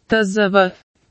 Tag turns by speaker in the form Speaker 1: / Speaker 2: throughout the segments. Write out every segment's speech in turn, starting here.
Speaker 1: tzv.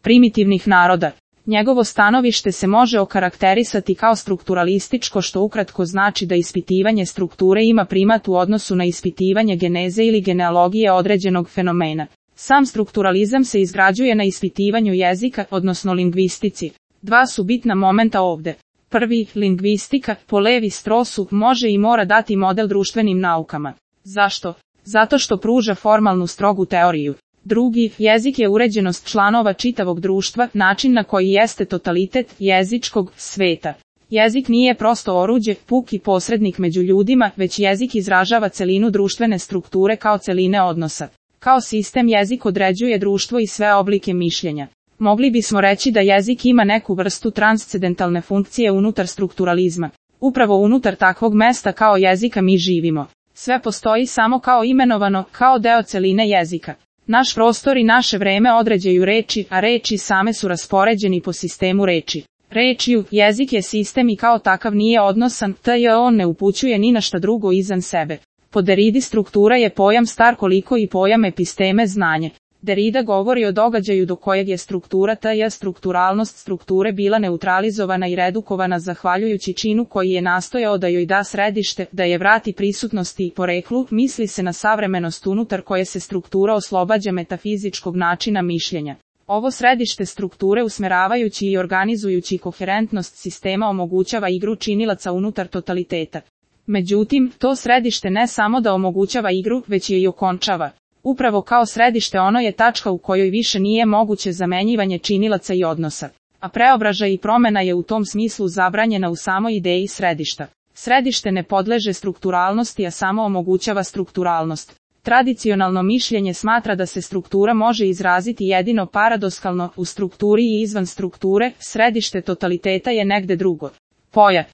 Speaker 1: Primitivnih naroda. Njegovo stanovište se može okarakterisati kao strukturalističko, što ukratko znači da ispitivanje strukture ima primat u odnosu na ispitivanje geneze ili genealogije određenog fenomena. Sam strukturalizam se izgrađuje na ispitivanju jezika, odnosno lingvistici. Dva su bitna momenta ovde. Prvi, lingvistika, po Levi Strossu, može i mora dati model društvenim naukama. Zašto? Zato što pruža formalnu strogu teoriju. Drugi, jezik je uređenost članova čitavog društva, način na koji jeste totalitet jezičkog sveta. Jezik nije prosto oruđe, puki posrednik među ljudima, već jezik izražava celinu društvene strukture kao celine odnosa. Kao sistem jezik određuje društvo i sve oblike mišljenja. Mogli bismo reći da jezik ima neku vrstu transcendentalne funkcije unutar strukturalizma. Upravo unutar takvog mesta kao jezika mi živimo. Sve postoji samo kao imenovano, kao deo celine jezika. Naš prostor i naše vreme određuju reči, a reči same su raspoređeni po sistemu reči. Rečju, jezik je sistem i kao takav nije odnosan, on ne upućuje ni na šta drugo izvan sebe. Po Derridi struktura je pojam star koliko i pojam episteme znanje. Derrida govori o događaju do kojeg je struktura strukturalnost strukture bila neutralizovana i redukovana zahvaljujući činu koji je nastojao da joj da središte, da je vrati prisutnosti i poreklu, misli se na savremenost unutar koje se struktura oslobađa metafizičkog načina mišljenja. Ovo središte strukture usmeravajući i organizujući koherentnost sistema omogućava igru činilaca unutar totaliteta. Međutim, to središte ne samo da omogućava igru, već je i okončava. Upravo kao središte ono je tačka u kojoj više nije moguće zamenjivanje činilaca i odnosa. A preobražaj i promena je u tom smislu zabranjena u samoj ideji središta. Središte ne podleže strukturalnosti, a samo omogućava strukturalnost. Tradicionalno mišljenje smatra da se struktura može izraziti jedino paradoksalno u strukturi i izvan strukture, središte totaliteta je negde drugo. Poja.